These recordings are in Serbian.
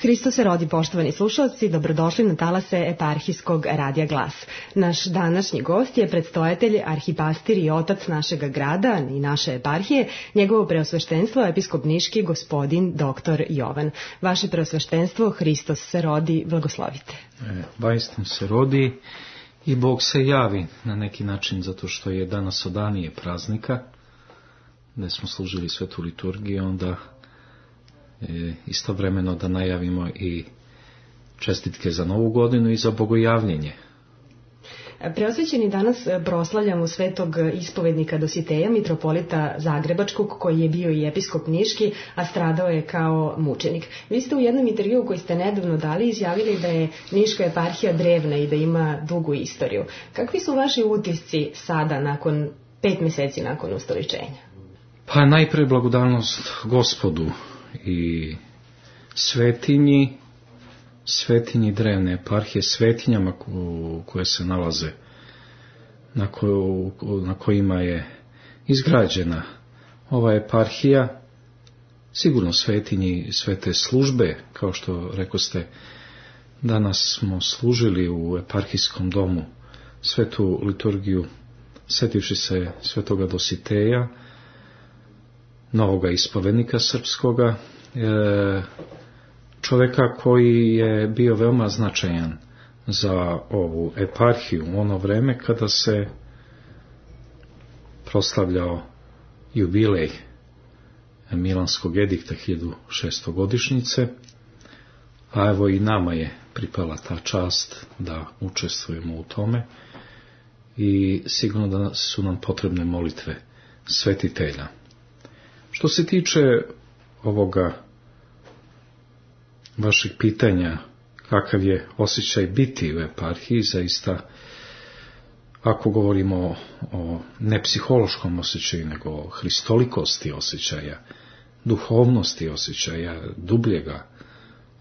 Hristos se rodi, poštovani slušalci, dobrodošli na talase Eparhijskog radija Glas. Naš današnji gost je predstojatelj, arhipastir i otac našega grada i naše eparhije, njegovo preosveštenstvo episkop niški gospodin dr. Jovan. Vaše preosveštenstvo, Hristos se rodi, blagoslovite. Vaistinu se rodi i Bog se javi na neki način, zato što je danas odanije praznika, gde smo služili svetu liturgiju, onda istovremeno da najavimo i čestitke za Novu godinu i za bogojavljenje. Preosvećeni danas proslavljamo svetog ispovednika Dositeja, mitropolita Zagrebačkog, koji je bio i episkop niški, a stradao je kao mučenik. Vi ste u jednom intervjuu koji ste nedavno dali izjavili da je niška eparhija drevna i da ima dugu istoriju. Kakvi su vaši utisci sada, nakon 5 meseci nakon ustoličenja? Pa najpre blagodarnost Gospodu i svetinji drevne eparhije, svetinjama koje se nalaze, na kojima je izgrađena ova eparhija, sigurno svetinji svete službe, kao što rekoste, danas smo služili u eparhijskom domu svetu liturgiju, setivši se svetoga Dositeja, novoga ispovednika srpskoga, čovjeka koji je bio veoma značajan za ovu eparhiju u ono vreme kada se proslavljao jubilej Milanskog edikta 1600 godišnjice, a evo i nama je pripala ta čast da učestvujemo u tome i sigurno da su nam potrebne molitve svetitelja. Što se tiče ovoga vašeg pitanja, kakav je osjećaj biti u eparhiji, zaista, ako govorimo o ne psihološkom osjećaju, nego o hristolikosti osjećaja, duhovnosti osjećaja, dubljega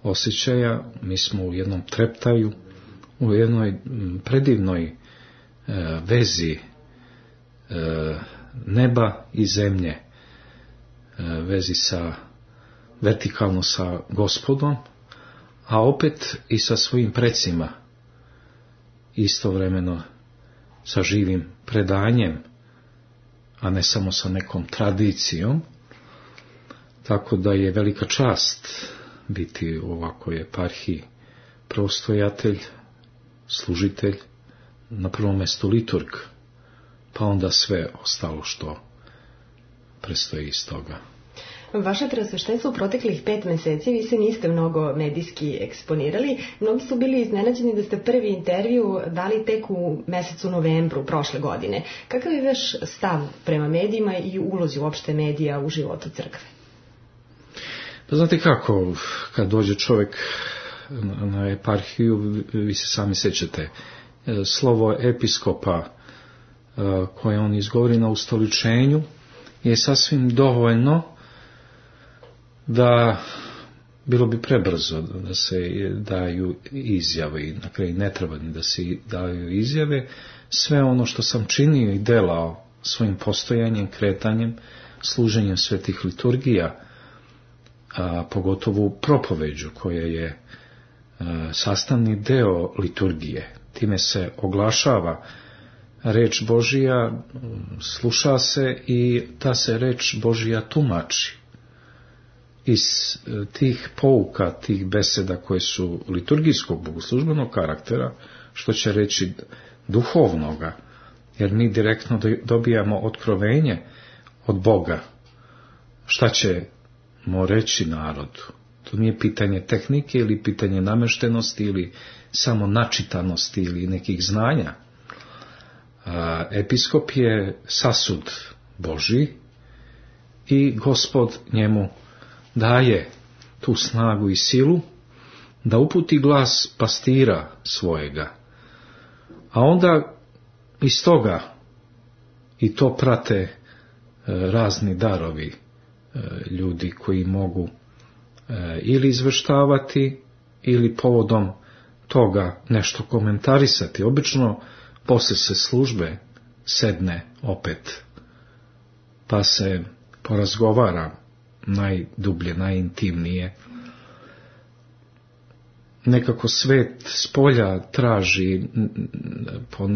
osjećaja, mi smo u jednom treptaju, u jednoj predivnoj vezi neba i zemlje, vezi vertikalno sa Gospodom, a opet i sa svojim precima, istovremeno sa živim predanjem, a ne samo sa nekom tradicijom, tako da je velika čast biti u ovakvoj eparhiji prostojatelj, služitelj, na prvom mjestu liturg, pa onda sve ostalo što predstoji iz toga. Vaše preosveštenstvo u proteklih 5 meseci, vi se niste mnogo medijski eksponirali. Mnogi su bili iznenađeni da ste prvi intervju dali tek u mesecu novembru prošle godine. Kakav je vaš stav prema medijima i ulozi uopšte medija u životu crkve? Pa znate kako, kad dođe čovjek na eparhiju, vi se sami sećate, slovo episkopa koje on izgovori na ustoličenju je sasvim dovoljno da bilo bi prebrzo da se daju izjave i na kraju ne treba ni da se daju izjave. Sve ono što sam činio i delao svojim postojanjem, kretanjem, služenjem svetih liturgija, a pogotovo propoveđu koja je sastavni deo liturgije. Time se oglašava reč Božija, sluša se i ta se reč Božija tumači. Iz tih pouka, tih beseda koje su liturgijskog bogoslužbenog karaktera, što će reći duhovnoga, jer mi direktno dobijamo otkrovenje od Boga. Šta ćemo reći narodu? To nije pitanje tehnike ili pitanje nameštenosti ili samo načitanosti ili nekih znanja. Episkop je sasud Božji i Gospod njemu daje tu snagu i silu da uputi glas pastira svojega. A onda iz toga i to prate razni darovi ljudi koji mogu ili izveštavati ili povodom toga nešto komentarisati. Obično posle se službe sedne opet pa se porazgovara najdublje, najintimnije nekako svet s polja traži po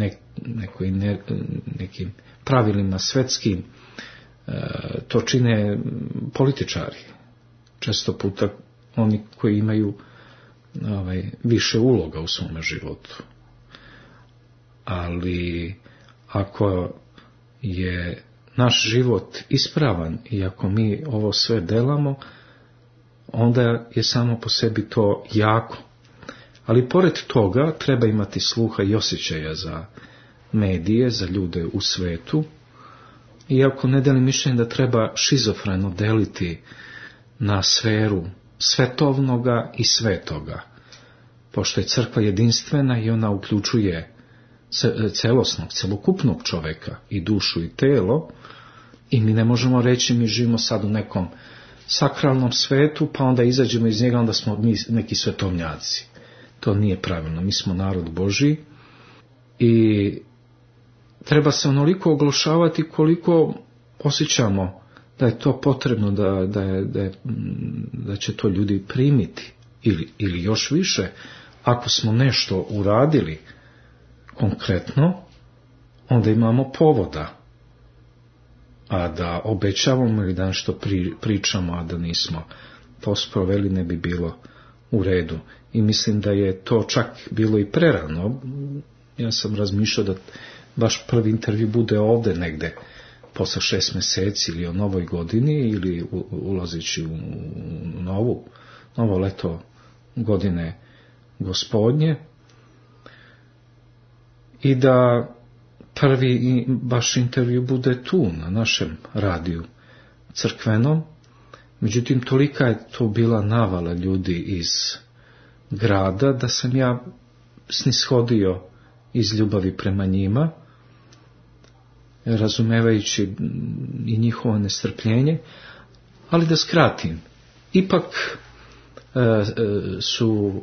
nekim pravilima svetskim, to čine političari. Često puta oni koji imaju više uloga u svome životu. Ali ako je naš život ispravan i ako mi ovo sve delamo, onda je samo po sebi to jako. Ali pored toga treba imati sluha i osjećaja za medije, za ljude u svetu, iako ne delim mišljenje da treba šizofreno deliti na sferu svetovnoga i svetoga, pošto je crkva jedinstvena i ona uključuje celosnog, celokupnog čoveka i dušu i telo, i mi ne možemo reći mi živimo sad u nekom sakralnom svetu, pa onda izađemo iz njega, onda smo mi neki svetovnjaci. To nije pravilno, mi smo narod Božji i treba se onoliko oglašavati koliko osjećamo da je to potrebno, da će to ljudi primiti, ili još više, ako smo nešto uradili konkretno, onda imamo povoda, a da obećavamo ili da nešto pričamo, a da nismo to sproveli, ne bi bilo u redu. I mislim da je to čak bilo i prerano. Ja sam razmišljao da baš prvi intervju bude ovde negde posle 6 meseci ili o novoj godini ili ulazeći u novo leto godine Gospodnje, i da prvi baš intervju bude tu na našem radiju crkvenom. Međutim, tolika je to bila navala ljudi iz grada da sam ja snishodio iz ljubavi prema njima, razumevajući i njihovo nestrpljenje. Ali da skratim, ipak su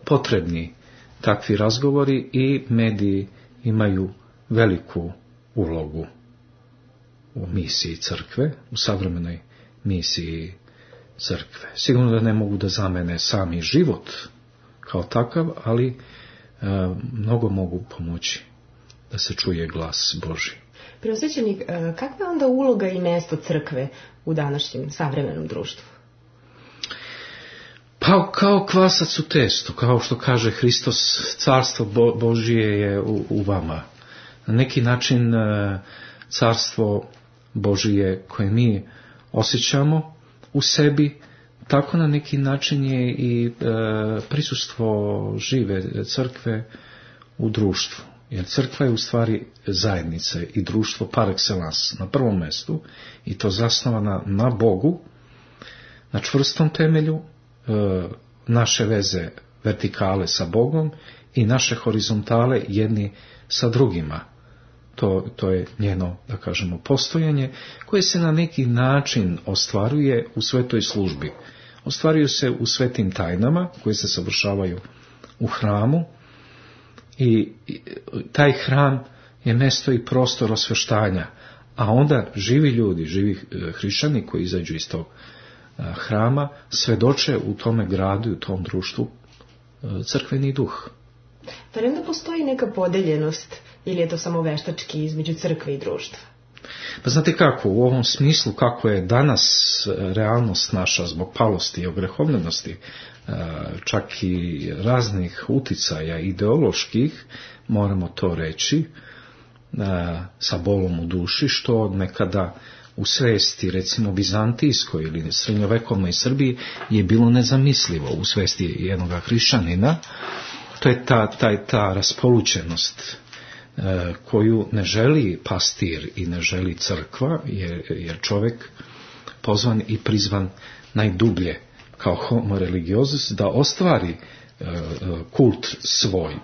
potrebni takvi razgovori i mediji imaju veliku ulogu u misiji crkve, u savremenoj misiji crkve. Sigurno da ne mogu da zamene sami život kao takav, ali mnogo mogu pomoći da se čuje glas Božji. Preosvećenik, kakva je onda uloga i mesto crkve u današnjem savremenom društvu? Pa kao kvasac u testu, kao što kaže Hristos, carstvo Božije je u vama. Na neki način carstvo Božije koje mi osjećamo u sebi, tako na neki način je i prisustvo žive crkve u društvu. Jer crkva je u stvari zajednica i društvo par excellence na prvom mestu, i to zasnovana na Bogu, na čvrstom temelju, naše veze vertikale sa Bogom i naše horizontale jedni sa drugima. To je njeno, da kažemo, postojanje koje se na neki način ostvaruje u svetoj službi. Ostvaruju se u svetim tajnama koje se savršavaju u hramu, i taj hram je mesto i prostor osveštanja, a onda živi ljudi, živi hrišćani koji izađu iz tog hrama svedoče u tome gradu i u tom društvu crkveni duh. Pa onda postoji neka podeljenost ili je to samo veštački između crkve i društva? Pa znate kako, u ovom smislu kako je danas realnost naša zbog palosti i ogrehovljenosti, čak i raznih uticaja ideoloških, moramo to reći, sa bolom u duši, što nekada u svesti, recimo bizantijskoj ili srednjovekovnoj Srbiji, je bilo nezamislivo u svesti jednog hrišćanina. To je ta raspolućenost koju ne želi pastir i ne želi crkva, jer čovjek pozvan i prizvan najdublje kao homo religiosus da ostvari kult svoj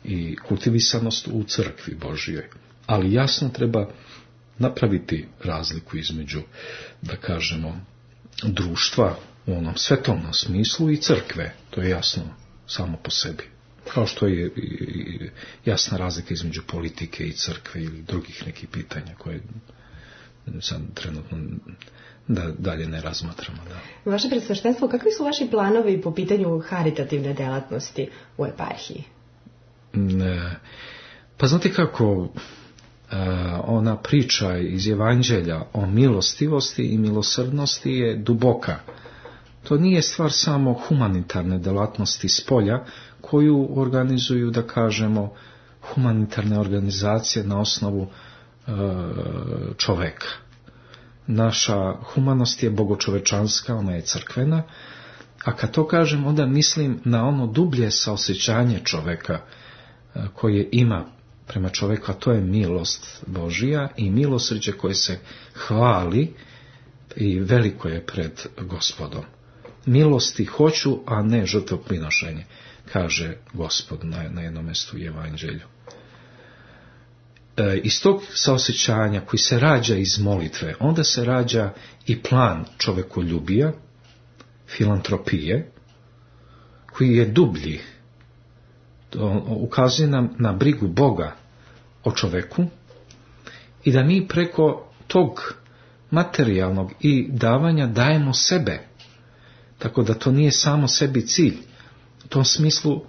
i kultivisanost u crkvi Božjoj. Ali jasno treba napraviti razliku između, da kažemo, društva u onom svetovnom smislu i crkve. To je jasno samo po sebi. Kao što je jasna razlika između politike i crkve ili drugih nekih pitanja koje sad trenutno da dalje ne razmatramo. Da. Vaše predsveštenstvo, kakvi su vaši planovi po pitanju haritativne delatnosti u eparhiji? Pa znate kako, ona priča iz Evanđelja o milostivosti i milosrdnosti je duboka. To nije stvar samo humanitarne delatnosti s polja koju organizuju, da kažemo, humanitarne organizacije na osnovu čoveka. Naša humanost je bogočovečanska, ona je crkvena, a kad to kažem, onda mislim na ono dublje saosjećanje čoveka koje ima prema čoveku, a to je milost Božija i milosrđe koje se hvali i veliko je pred Gospodom. Milosti hoću, a ne žrtvoprinošenje, kaže Gospod na jednom mjestu u Evanđelju. Iz tog saosjećanja koji se rađa iz molitve, onda se rađa i plan čovekoljubija, filantropije, koji je dublji. To ukazuje nam na brigu Boga o čoveku i da mi preko tog materijalnog i davanja dajemo sebe. Tako da to nije samo sebi cilj. U tom smislu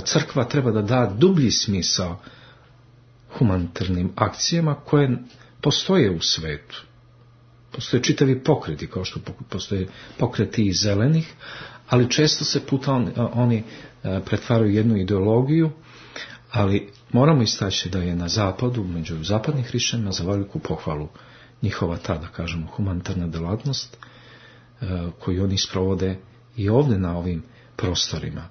crkva treba da da dublji smisao humanitarnim akcijama koje postoje u svetu. Postoje čitavi pokreti, kao što postoje pokreti i zelenih, ali često se puta oni pretvaraju jednu ideologiju, ali moramo istaći da je na zapadu, među zapadnih hrišćanima, za veliku pohvalu njihova ta, da kažemo, humanitarna delatnost koju oni sprovode i ovdje na ovim prostorima.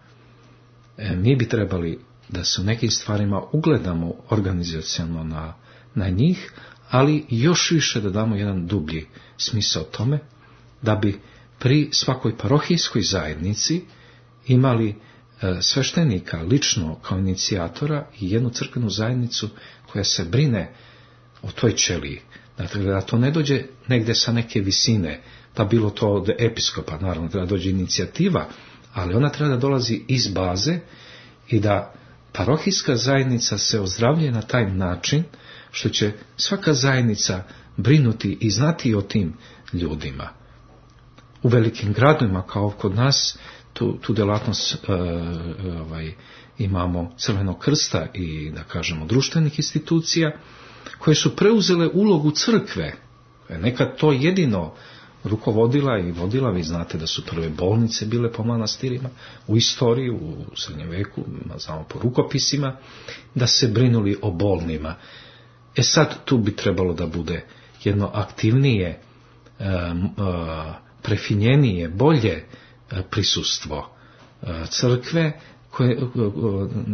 Mi bi trebali da se u nekim stvarima ugledamo organizacionalno na njih, ali još više da damo jedan dublji smisao tome, da bi pri svakoj parohijskoj zajednici imali sveštenika lično kao inicijatora i jednu crkvenu zajednicu koja se brine o toj ćeliji. Dakle, da to ne dođe negde sa neke visine, da bilo to od episkopa, naravno treba dođe inicijativa, ali ona treba da dolazi iz baze i da parohijska zajednica se ozdravljuje na taj način što će svaka zajednica brinuti i znati o tim ljudima. U velikim gradovima, kao kod nas, tu delatnost imamo Crvenog krsta i, da kažemo, društvenih institucija koje su preuzele ulogu crkve. Nekad to jedino rukovodila i vodila, vi znate da su prve bolnice bile po manastirima u istoriji, u srednjem veku, znamo po rukopisima, da se brinuli o bolnima. Sad tu bi trebalo da bude jedno aktivnije, prefinjenije, bolje prisustvo crkve koje,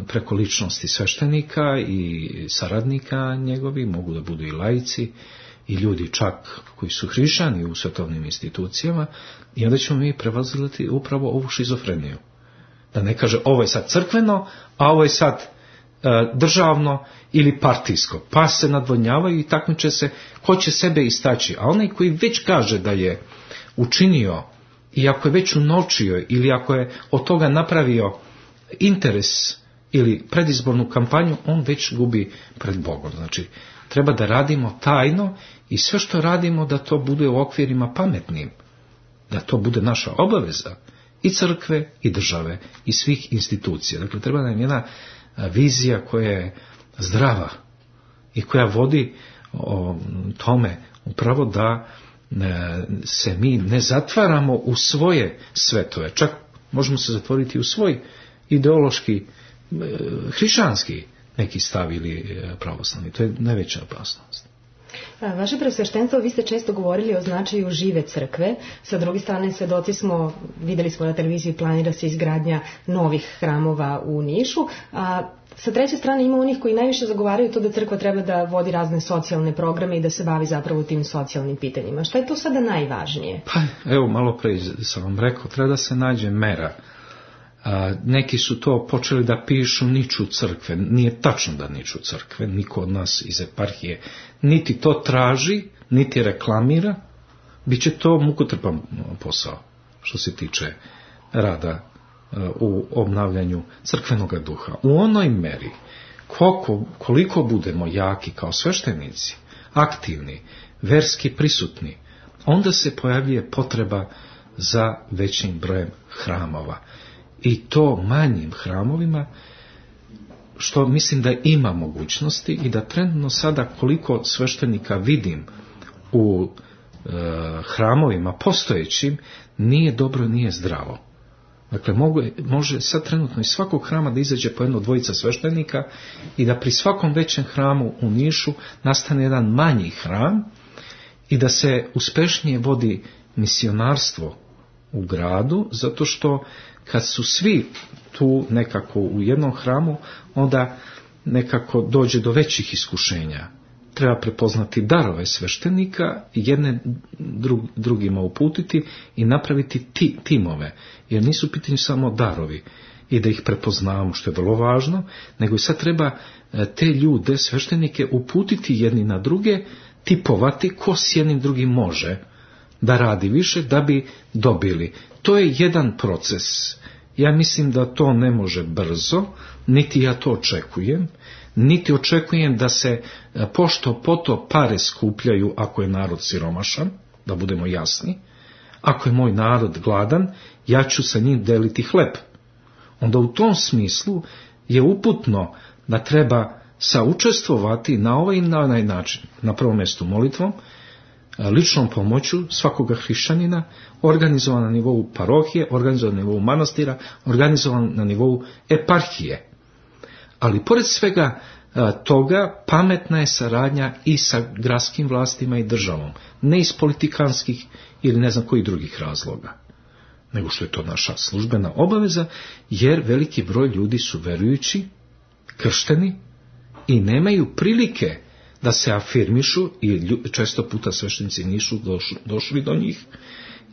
preko ličnosti sveštenika i saradnika njegovi, mogu da budu i laici i ljudi čak koji su hrišćani u svetovnim institucijama, i onda ćemo mi prevaziliti upravo ovu šizofreniju. Da ne kaže ovo je sad crkveno, a ovo je sad državno ili partijsko, pa se nadvodnjavaju i takmiče se ko će sebe istaći, a onaj koji već kaže da je učinio i ako je već unovčio ili ako je od toga napravio interes ili predizbornu kampanju, on već gubi pred Bogom. Znači, treba da radimo tajno i sve što radimo da to bude u okvirima pametnim, da to bude naša obaveza i crkve i države i svih institucija. Dakle, treba nam jedna vizija koja je zdrava i koja vodi o tome upravo da se mi ne zatvaramo u svoje svetove. Čak možemo se zatvoriti u svoj ideološki, hrišćanski neki stav ili pravoslavni. To je najveća opasnost. Vaše preosveštenstvo, vi ste često govorili o značaju žive crkve. Sa druge strane, svedoci smo, videli smo na televiziji, planira se izgradnja novih hramova u Nišu, a sa treće strane ima onih koji najviše zagovaraju to da crkva treba da vodi razne socijalne programe i da se bavi zapravo tim socijalnim pitanjima. Šta je to sada najvažnije? Pa, evo, malo pre sam vam rekao, treba da se nađe mera. Neki su to počeli da pišu niču crkve. Nije tačno da niču crkve, niko od nas iz eparhije niti to traži, niti reklamira. Biće to mukotrpan posao što se tiče rada u obnavljanju crkvenog duha. U onoj meri koliko budemo jaki kao sveštenici, aktivni, verski prisutni, onda se pojavljuje potreba za većim brojem hramova. I to manjim hramovima, što mislim da ima mogućnosti i da trenutno sada koliko sveštenika vidim u hramovima postojećim, nije dobro, nije zdravo. Dakle, može sad trenutno iz svakog hrama da izađe po jedno dvojica sveštenika i da pri svakom većem hramu u Nišu nastane jedan manji hram i da se uspešnije vodi misionarstvo u gradu, zato što kad su svi tu nekako u jednom hramu, onda nekako dođe do većih iskušenja. Treba prepoznati darove sveštenika, jedne drugima uputiti i napraviti timove, jer nisu pitanje samo darovi i da ih prepoznamo, što je vrlo važno, nego i sad treba te ljude, sveštenike, uputiti jedni na druge, tipovati ko s jednim drugim može da radi više, da bi dobili. To je jedan proces. Ja mislim da to ne može brzo, niti ja to očekujem, niti očekujem da se pošto poto pare skupljaju ako je narod siromašan, da budemo jasni. Ako je moj narod gladan, ja ću sa njim deliti hleb. Onda u tom smislu je uputno da treba saučestvovati na ovaj i na onaj način. Na prvom mjestu molitvom, ličnom pomoću svakoga hrišćanina, organizovan na nivou parohije, organizovan na nivou manastira, organizovan na nivou eparhije. Ali pored svega toga pametna je saradnja i sa gradskim vlastima i državom, ne iz politikanskih ili ne znam kojih drugih razloga, nego što je to naša službena obaveza, jer veliki broj ljudi su verujući, kršteni i nemaju prilike da se afirmišu i često puta sveštenici nisu došli do njih.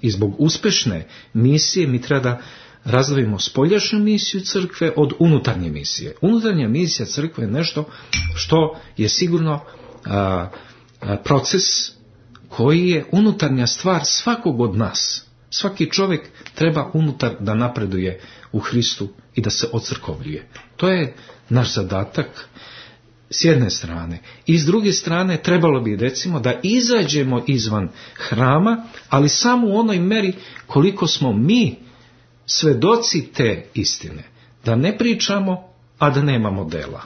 I zbog uspešne misije mi treba da razdvojimo spoljašnju misiju crkve od unutarnje misije. Unutarnja misija crkve je nešto što je sigurno proces koji je unutarnja stvar svakog od nas. Svaki čovjek treba unutar da napreduje u Hristu i da se ocrkovljuje. To je naš zadatak s jedne strane. I s druge strane trebalo bi, recimo, da izađemo izvan hrama, ali samo u onoj meri koliko smo mi svedoci te istine. Da ne pričamo, a da nemamo dela.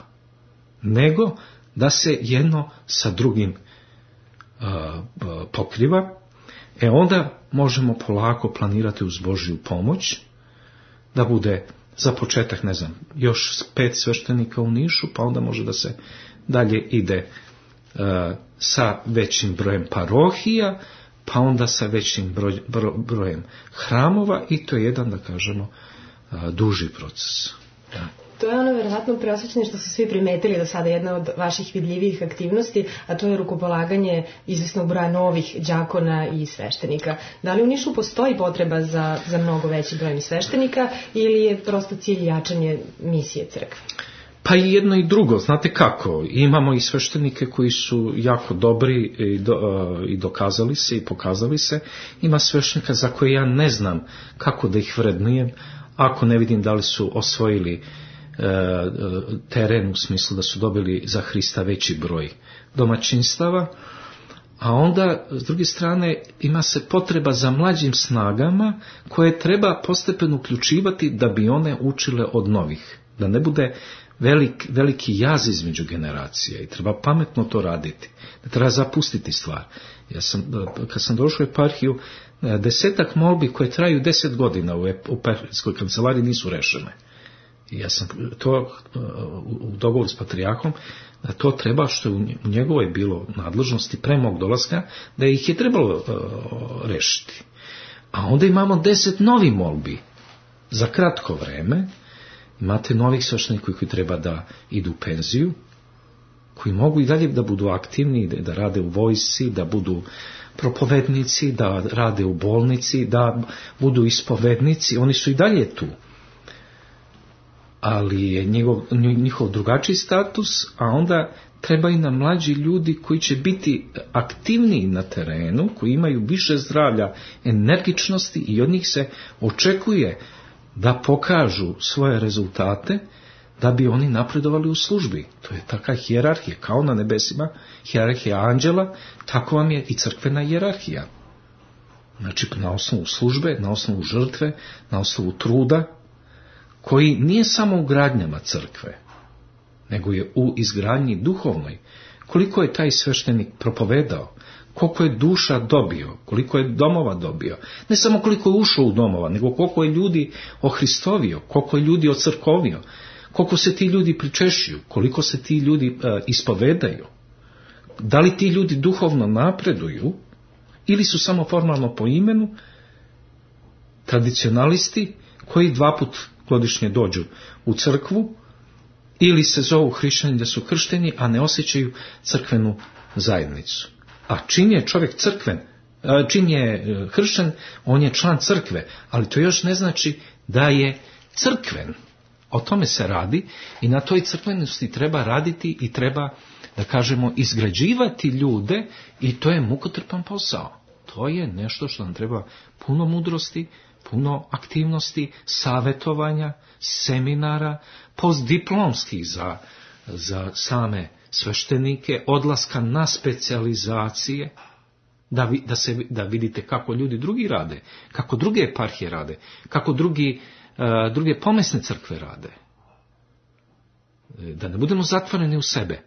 Nego da se jedno sa drugim pokriva. Onda možemo polako planirati uz Božju pomoć da bude za početak, ne znam, još 5 sveštenika u Nišu, pa onda može da se dalje ide sa većim brojem parohija, pa onda sa većim brojem hramova i to je jedan, da kažemo, duži proces. Da. To je ono verovatno preosvećenje što su svi primetili do sada, jedna od vaših vidljivijih aktivnosti, a to je rukopolaganje izvesnog broja novih đakona i sveštenika. Da li u Nišu postoji potreba za mnogo veći broj sveštenika ili je prosto cilj jačanje misije crkve? Pa i jedno i drugo, znate kako, imamo i sveštenike koji su jako dobri i dokazali se i pokazali se, ima sveštenika za koje ja ne znam kako da ih vrednujem, ako ne vidim da li su osvojili teren u smislu da su dobili za Hrista veći broj domaćinstava, a onda s druge strane ima se potreba za mlađim snagama koje treba postepeno uključivati da bi one učile od novih, da ne bude veliki jaz između generacija i treba pametno to raditi, da treba zapustiti stvar. Kad sam došao u eparhiju, 10 molbi koje traju 10 godina u eparhijskoj kancelariji nisu rešene. I ja sam to u dogovoru s patrijarhom, da to treba, što je u njegovoj bilo nadležnosti pre mog dolaska, da ih je trebalo rešiti. A onda imamo 10 novi molbi za kratko vreme. Imate novih sveštenika koji treba da idu u penziju, koji mogu i dalje da budu aktivni, da rade u vojsci, da budu propovednici, da rade u bolnici, da budu ispovednici, oni su i dalje tu. Ali je njihov drugačiji status, a onda treba i nam mlađi ljudi koji će biti aktivniji na terenu, koji imaju više zdravlja, energičnosti i od njih se očekuje da pokažu svoje rezultate, da bi oni napredovali u službi. To je taka hijerarhija, kao na nebesima, hijerarhija anđela, tako vam je i crkvena hijerarhija. Znači, na osnovu službe, na osnovu žrtve, na osnovu truda, koji nije samo u gradnjama crkve, nego je u izgradnji duhovnoj. Koliko je taj sveštenik propovedao, koliko je duša dobio, koliko je domova dobio. Ne samo koliko je ušao u domova, nego koliko je ljudi ohristovio, koliko je ljudi ocrkovio, koliko se ti ljudi pričešćuju, koliko se ti ljudi ispovedaju. Da li ti ljudi duhovno napreduju ili su samo formalno po imenu tradicionalisti koji 2 puta godišnje dođu u crkvu ili se zovu hrišćani da su kršteni, a ne osjećaju crkvenu zajednicu. A čim je čovjek čim je kršćan, on je član crkve, ali to još ne znači da je crkven. O tome se radi i na toj crkvenosti treba raditi i treba, da kažemo, izgrađivati ljude i to je mukotrpan posao. To je nešto što nam treba puno mudrosti, puno aktivnosti, savjetovanja, seminara, postdiplomskih za same sveštenike, odlaska na specijalizacije, da vidite kako ljudi drugi rade, kako druge eparhije rade, kako druge pomesne crkve rade. Da ne budemo zatvoreni u sebe.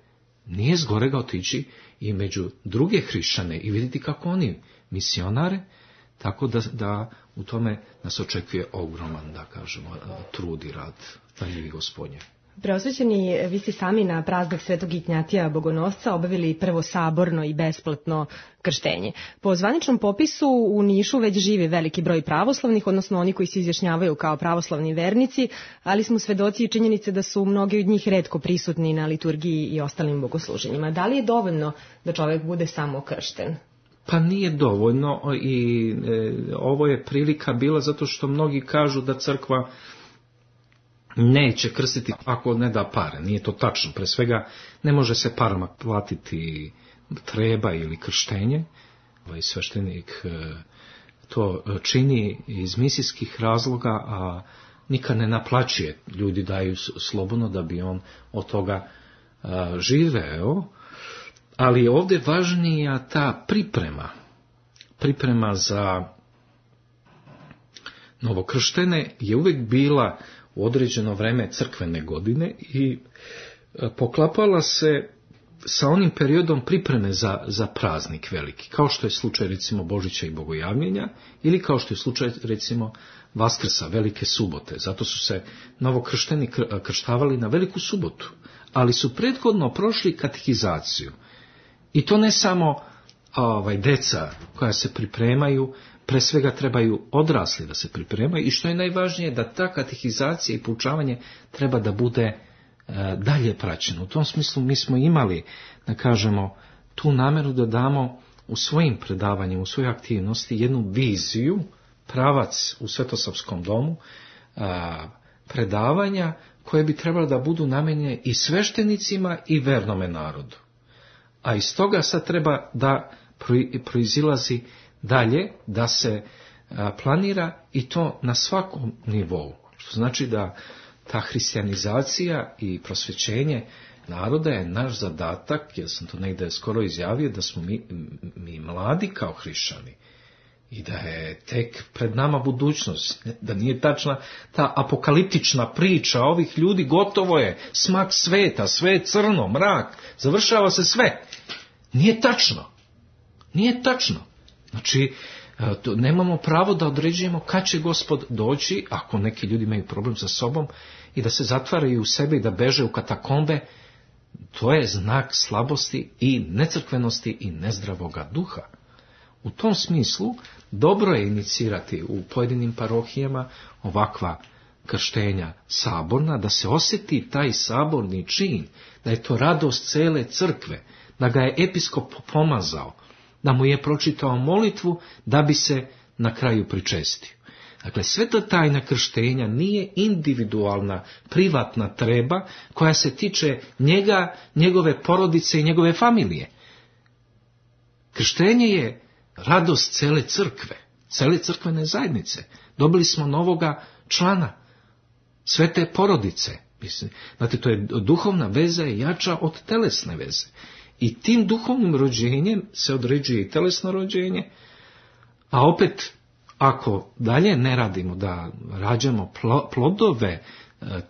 Nije zgorega otići i među druge hrišćane i vidjeti kako oni misionare, tako da u tome nas očekuje ogroman, da kažemo, trud i rad daljivi Gospodnje. Preosvećeni, vi ste sami na praznik Svetog Ignjatija Bogonosca obavili prvo saborno i besplatno krštenje. Po zvaničnom popisu u Nišu već živi veliki broj pravoslavnih, odnosno oni koji se izjašnjavaju kao pravoslavni vernici, ali smo svedoci i činjenice da su mnogi od njih retko prisutni na liturgiji i ostalim bogosluženjima. Da li je dovoljno da čovjek bude samo kršten? Pa nije dovoljno i ovo je prilika bila zato što mnogi kažu da crkva neće krstiti ako ne da pare. Nije to tačno. Pre svega ne može se parama platiti treba ili krštenje. Sveštenik to čini iz misijskih razloga, a nikad ne naplaćuje. Ljudi daju slobodno da bi on od toga živeo. Ali ovdje važnija ta priprema za novokrštene je uvijek bila u određeno vreme crkvene godine i poklapala se sa onim periodom pripreme za praznik veliki, kao što je slučaj recimo Božića i Bogojavljenja ili kao što je slučaj recimo Vaskrsa, Velike subote. Zato su se novokršteni krštavali na Veliku subotu, ali su prethodno prošli katehizaciju. I to ne samo deca koja se pripremaju, pre svega trebaju odrasli da se pripremaju i što je najvažnije da ta katehizacija i poučavanje treba da bude dalje praćeno. U tom smislu mi smo imali, da kažemo, tu nameru da damo u svojim predavanjima, u svojoj aktivnosti jednu viziju, pravac u Svetosavskom domu, predavanja koje bi trebalo da budu namenjene i sveštenicima i vernome narodu. A iz toga sad treba da proizilazi dalje, da se planira i to na svakom nivou. Što znači da ta hrišćanizacija i prosvećenje naroda je naš zadatak, jer sam to negdje skoro izjavio, da smo mi mladi kao hrišćani i da je tek pred nama budućnost, da nije tačna ta apokaliptična priča ovih ljudi, gotovo je, smak sveta, sve je crno, mrak, završava se sve. Nije tačno. Nije tačno. Znači, nemamo pravo da određujemo kad će Gospod doći, ako neki ljudi imaju problem sa sobom, i da se zatvaraju u sebe i da beže u katakombe. To je znak slabosti i necrkvenosti i nezdravoga duha. U tom smislu, dobro je inicirati u pojedinim parohijama ovakva krštenja saborna, da se osjeti taj saborni čin, da je to radost cele crkve, da ga je episkop pomazao, da mu je pročitao molitvu da bi se na kraju pričestio. Dakle, sveta tajna krštenja nije individualna, privatna treba koja se tiče njega, njegove porodice i njegove familije. Krštenje je radost cele crkve, cele crkvene zajednice. Dobili smo novoga člana, svete porodice. Znate, to je duhovna veza je jača od telesne veze. I tim duhovnim rođenjem se određuje i telesno rođenje, A opet, ako dalje ne radimo da rađamo plodove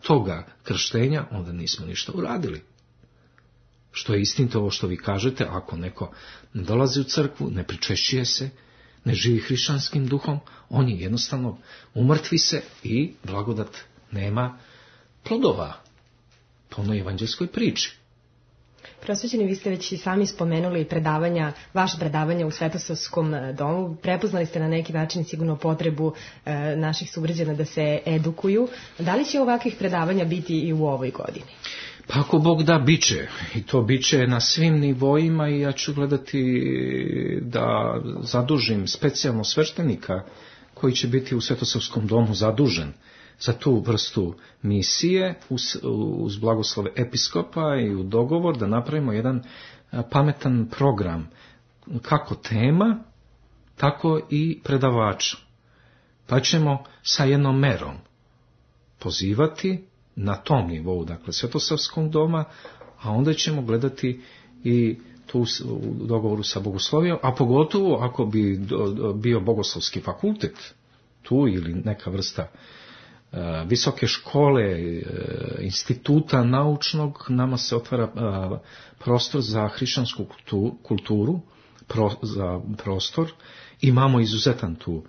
toga krštenja, onda nismo ništa uradili. Što je istinito ovo što vi kažete, ako neko ne dolazi u crkvu, ne pričešćuje se, ne živi hrišćanskim duhom, on je jednostavno umrtvi se i blagodat nema plodova po onoj evanđelskoj priči. Prosvećeni, vi ste već i sami spomenuli predavanja, vaše predavanja u Svetosavskom domu. Prepoznali ste na neki način sigurno potrebu naših sugrađana da se edukuju. Da li će ovakvih predavanja biti i u ovoj godini? Pa ako Bog da, biće. I to biće na svim nivoima i ja ću gledati da zadužim specijalno sveštenika koji će biti u Svetosavskom domu zadužen za tu vrstu misije uz blagoslove episkopa i u dogovor da napravimo jedan pametan program, kako tema, tako i predavača. Pa ćemo sa jednom merom pozivati na tom nivou, dakle Svetosavskog doma, a onda ćemo gledati i tu u dogovoru sa bogoslovijom, a pogotovo ako bi bio bogoslovski fakultet tu ili neka vrsta visoke škole, instituta naučnog, nama se otvara prostor za hrišćansku kulturu, za prostor. Imamo izuzetan to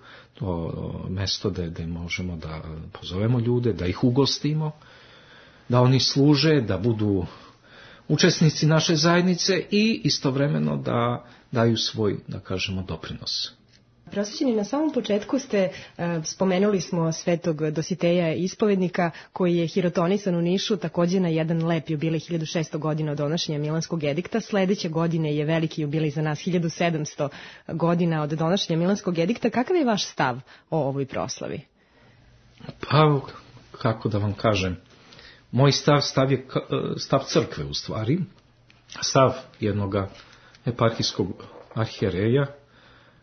mesto gde možemo da pozovemo ljude, da ih ugostimo, da oni služe, da budu učesnici naše zajednice i istovremeno da daju svoj, da kažemo, doprinos. Prosvećeni, na samom početku spomenuli smo svetog Dositeja Ispovednika, koji je hirotonisan u Nišu također na jedan lep jubilej 1600 godina od donošenja Milanskog edikta. Sledeće godine je veliki jubilej za nas, 1700 godina od donošenja Milanskog edikta. Kakav je vaš stav o ovoj proslavi? Pa, kako da vam kažem, moj stav je stav crkve u stvari, stav jednog eparhijskog arhijereja,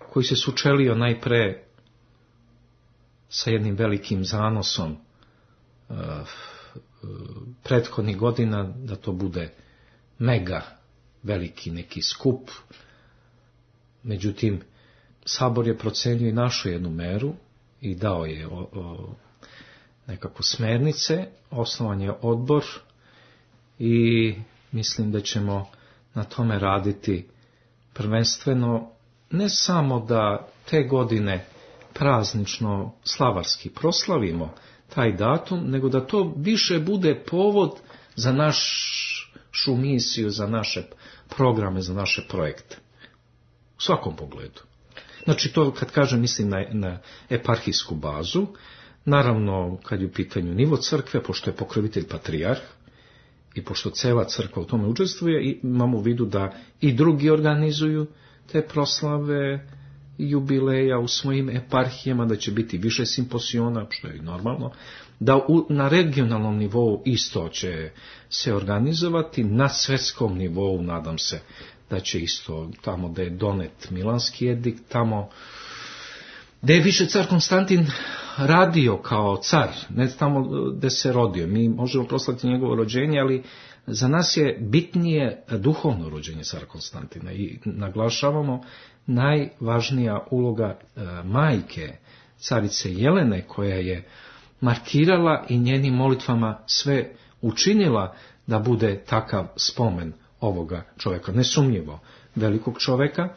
koji se sučelio najpre sa jednim velikim zanosom prethodnih godina da to bude mega veliki neki skup. Međutim, Sabor je procenio i našao jednu meru i dao je nekako smernice, osnovan je odbor i mislim da ćemo na tome raditi prvenstveno, ne samo da te godine praznično slavarski proslavimo taj datum, nego da to više bude povod za našu misiju, za naše programe, za naše projekte. U svakom pogledu. Znači to kad kažem mislim na eparhijsku bazu, naravno kad je u pitanju nivo crkve, pošto je pokrovitelj patrijarh i pošto cela crkva u tome učestvuje, imamo u vidu da i drugi organizuju te proslave jubileja u svojim eparhijama, da će biti više simposiona, što je normalno, da na regionalnom nivou isto će se organizovati, na svetskom nivou nadam se da će isto tamo da je donet Milanski edikt, tamo da je više car Konstantin radio kao car, ne tamo gde se rodio. Mi možemo proslaviti njegovo rođenje, ali za nas je bitnije duhovno rođenje cara Konstantina i naglašavamo najvažnija uloga majke, carice Jelene, koja je markirala i njenim molitvama sve učinila da bude takav spomen ovoga čovjeka, nesumnjivo velikog čovjeka.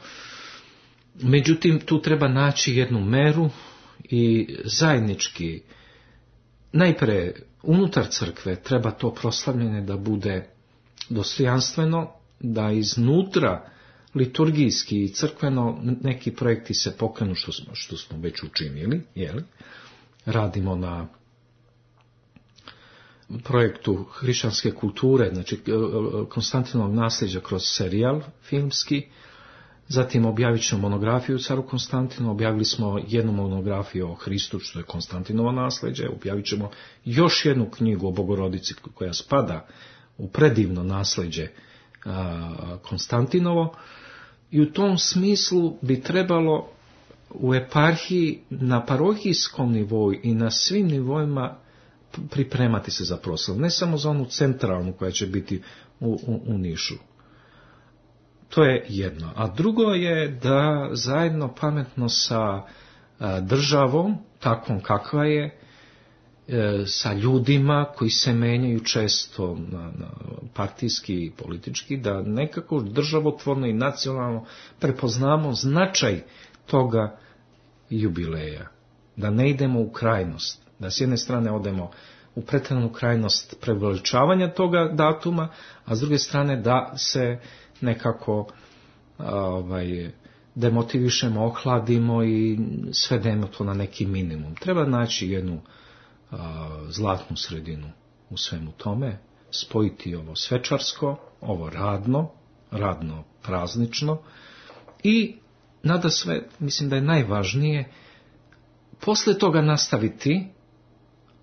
Međutim, tu treba naći jednu meru i zajednički, najpre unutar crkve treba to proslavljanje da bude dostojanstveno, da iznutra liturgijski i crkveno neki projekti se pokrenu što smo već učinili, jeli? Radimo na projektu hrišćanske kulture, znači Konstantinovog nasljeđa kroz serijal filmski. Zatim objavit ćemo monografiju o caru Konstantinu, objavili smo jednu monografiju o Hristu, što je Konstantinovo nasljeđe, objavit ćemo još jednu knjigu o Bogorodici koja spada u predivno nasljeđe Konstantinovo. I u tom smislu bi trebalo u eparhiji na parohijskom nivou i na svim nivoima pripremati se za proslavu, ne samo za onu centralnu koja će biti u Nišu. To je jedno. A drugo je da zajedno pametno sa državom, takvom kakva je, sa ljudima koji se menjaju često na partijski i politički, da nekako državotvorno i nacionalno prepoznamo značaj toga jubileja. Da ne idemo u krajnost. Da s jedne strane odemo u pretjeranu krajnost preveličavanja toga datuma, a s druge strane da se nekako demotivišemo, ohladimo i svedemo to na neki minimum. Treba naći jednu zlatnu sredinu u svemu tome, spojiti ovo svečarsko, ovo radno praznično i nada sve, mislim da je najvažnije, posle toga nastaviti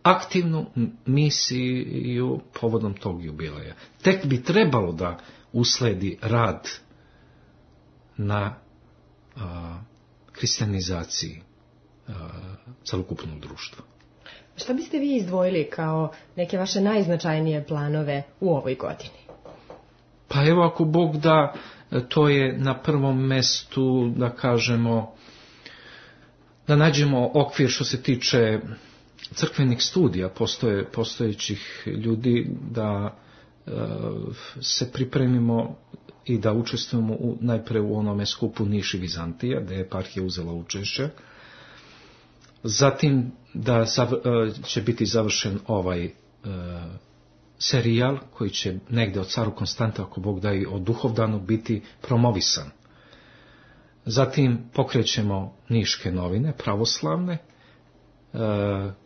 aktivnu misiju povodom tog jubileja. Tek bi trebalo da usledi rad na kristijanizaciji celokupnog društva. Šta biste vi izdvojili kao neke vaše najznačajnije planove u ovoj godini? Pa evo, ako Bog da, to je na prvom mestu, da kažemo, da nađemo okvir što se tiče crkvenih studija postojećih ljudi, da se pripremimo i da učestvujemo najpre u onome skupu Niš i Vizantija, gdje je eparhija uzela učešće. Zatim da će biti završen ovaj serijal koji će negdje od caru Konstanta, ako Bog da, i o Duhovdanu biti promovisan. Zatim pokrećemo Niške novine, pravoslavne,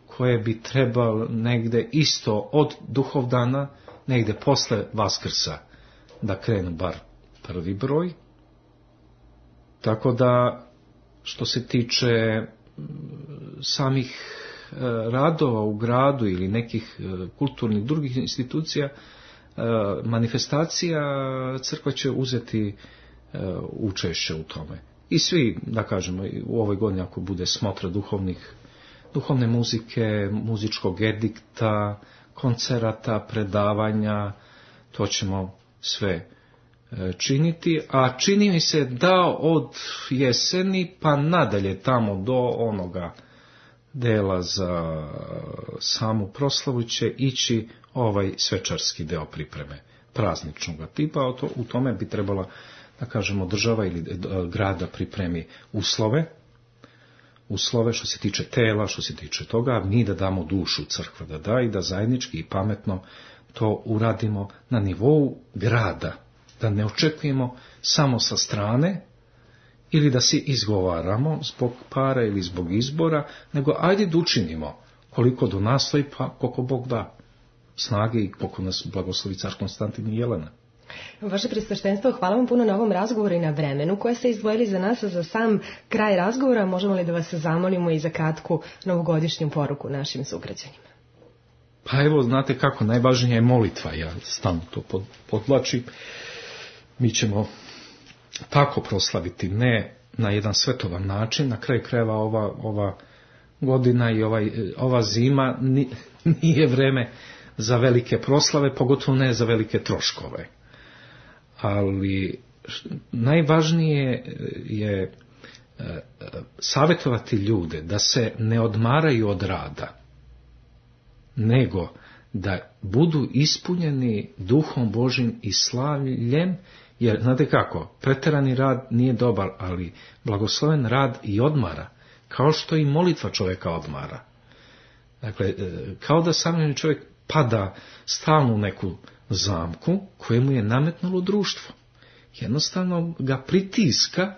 koje bi trebalo negdje isto od Duhovdana, negdje posle Vaskrsa, da krenu bar prvi broj. Tako da, što se tiče samih radova u gradu ili nekih kulturnih drugih institucija, manifestacija, crkva će uzeti učešće u tome. I svi, da kažemo, u ovoj godini ako bude smotra duhovne muzike, muzičkog edikta, koncerata, predavanja, to ćemo sve činiti, a čini mi se da od jeseni pa nadalje tamo do onoga dela za samu proslavu će ići ovaj svečarski deo pripreme prazničnog tipa, a u tome bi trebala, da kažemo, država ili grada pripremi uslove što se tiče tela, što se tiče toga, mi da damo dušu, crkva da da, i da zajednički i pametno to uradimo na nivou grada, da ne očekujemo samo sa strane ili da si izgovaramo zbog para ili zbog izbora, nego ajde da učinimo koliko do nas stoji, pa koliko Bog da snage i koliko nas blagoslovi car Konstantin i Jelena. Vaše Presveštenstvo, hvala vam puno na ovom razgovoru i na vremenu koje ste izdvojili za nas. Za sam kraj razgovora možemo li da vas zamolimo i za kratku novogodišnju poruku našim sugrađanima? Pa evo, znate kako, najvažnija je molitva, ja stalno to podvlačim. Mi ćemo tako proslaviti, ne na jedan svetovan način, na kraju krajeva ova godina i ova zima nije vreme za velike proslave, pogotovo ne za velike troškove. Ali najvažnije je savjetovati ljude da se ne odmaraju od rada, nego da budu ispunjeni duhom Božjim i slavljem, jer znate kako, preterani rad nije dobar, ali blagosloven rad i odmara, kao što i molitva čovjeka odmara. Dakle, kao da sam čovjek pada stalno u neku zamku kojemu je nametnulo društvo. Jednostavno ga pritiska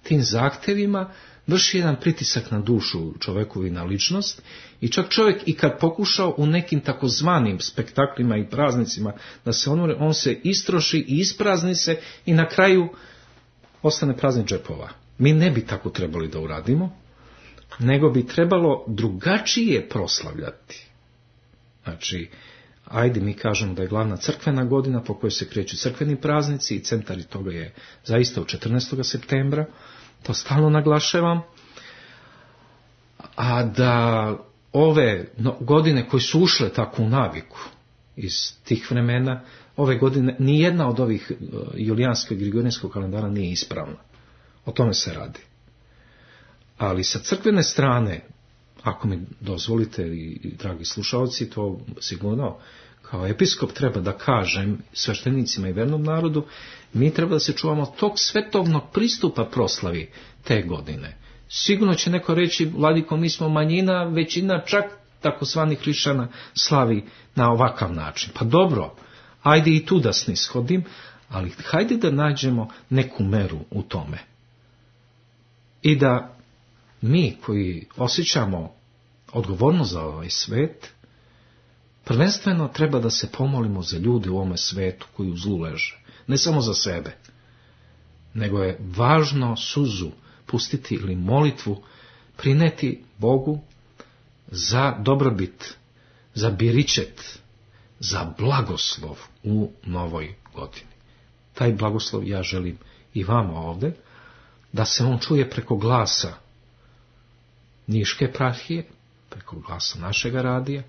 tim zahtevima, vrši jedan pritisak na dušu čovjeku i na ličnost, i čak čovjek i kad pokušao u nekim takozvanim spektaklima i praznicima da se on se istroši i isprazni se i na kraju ostane praznih džepova. Mi ne bi tako trebali da uradimo, nego bi trebalo drugačije proslavljati. Znači, ajde mi kažemo da je glavna crkvena godina po kojoj se kreću crkveni praznici i centar toga je zaista u 14. septembra, to stalno naglašavam, a da ove godine koje su ušle tako u naviku, iz tih vremena. Ove godine nijedna od ovih julijanskog i grigorijanskog kalendara nije ispravna. O tome se radi. Ali sa crkvene strane, ako mi dozvolite i dragi slušalci, to sigurno kao episkop treba da kažem sveštenicima i vernom narodu, mi treba da se čuvamo tog svetovnog pristupa proslavi te godine. Sigurno će neko reći, vladiko, mi smo manjina, većina čak takozvanih hrišćana slavi na ovakav način. Pa dobro, ajde i tu da snishodim, ali hajde da nađemo neku meru u tome. I da mi koji osjećamo odgovornost za ovaj svet, prvenstveno treba da se pomolimo za ljude u ovome svetu koji u zlu leže. Ne samo za sebe, nego je važno suzu pustiti ili molitvu prineti Bogu za dobrobit, za biričet, za blagoslov u novoj godini. Taj blagoslov ja želim i vama ovde, da se on čuje preko glasa Niške eparhije, preko glasa našega radija,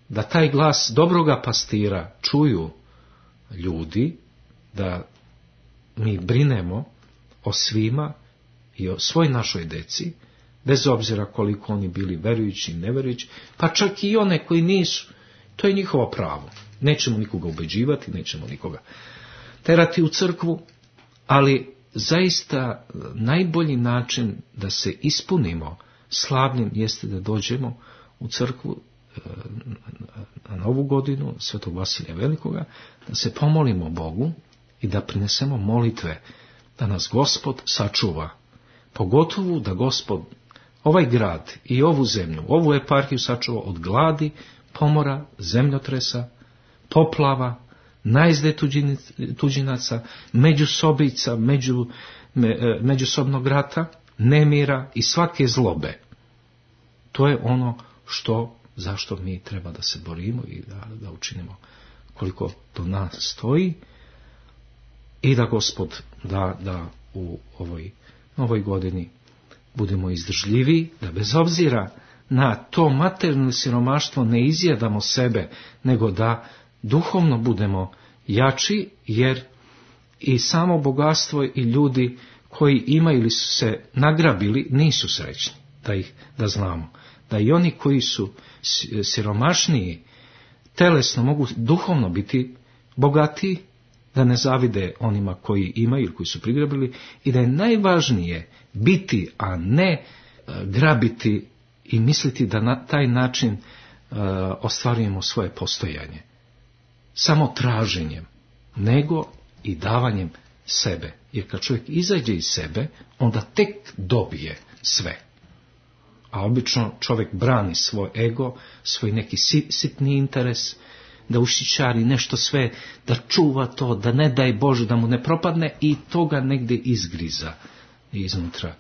da taj glas dobroga pastira čuju ljudi, da mi brinemo o svima i o svoj našoj deci, bez obzira koliko oni bili verujući i neverujući, pa čak i one koji nisu. To je njihovo pravo. Nećemo nikoga ubeđivati, nećemo nikoga terati u crkvu, ali zaista najbolji način da se ispunimo slavnim jeste da dođemo u crkvu na Novu godinu Svetog Vasilija Velikoga, da se pomolimo Bogu i da prinesemo molitve da nas Gospod sačuva. Pogotovo da Gospod ovaj grad i ovu zemlju, ovu eparhiju sačuva od gladi, pomora, zemljotresa, poplava, najezde tuđinaca, međusobica, međusobnog rata, nemira i svake zlobe. To je ono zašto mi treba da se borimo i da učinimo koliko do nas stoji i da Gospod da u ovoj novoj godini budemo izdržljivi, da bez obzira na to materijalno siromaštvo ne izjedamo sebe, nego da duhovno budemo jači, jer i samo bogatstvo i ljudi koji imaju ili su se nagrabili nisu srećni, da znamo. Da i oni koji su siromašniji telesno mogu duhovno biti bogatiji, da ne zavide onima koji imaju ili koji su prigrabili, i da je najvažnije biti, a ne grabiti i misliti da na taj način ostvarujemo svoje postojanje. Samo traženjem, nego i davanjem sebe. Jer kad čovjek izađe iz sebe, onda tek dobije sve. A obično čovjek brani svoj ego, svoj neki sitni interes, da ušićari nešto sve, da čuva to, da ne daj Bože da mu ne propadne, i to ga negdje izgriza iznutra.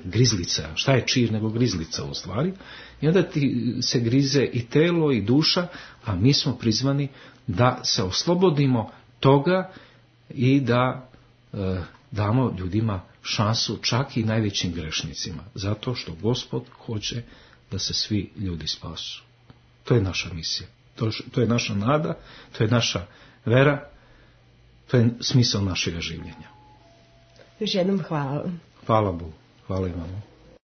Grizlica. Šta je čir nego grizlica u stvari? I onda ti se grize i telo i duša, a mi smo prizvani da se oslobodimo toga i da damo ljudima šansu, čak i najvećim grešnicima, zato što Gospod hoće da se svi ljudi spasu. To je naša misija, to je naša nada, to je naša vera, to je smisao našega življenja. Još jednom hvala. Hvala Bogu, hvala i vama.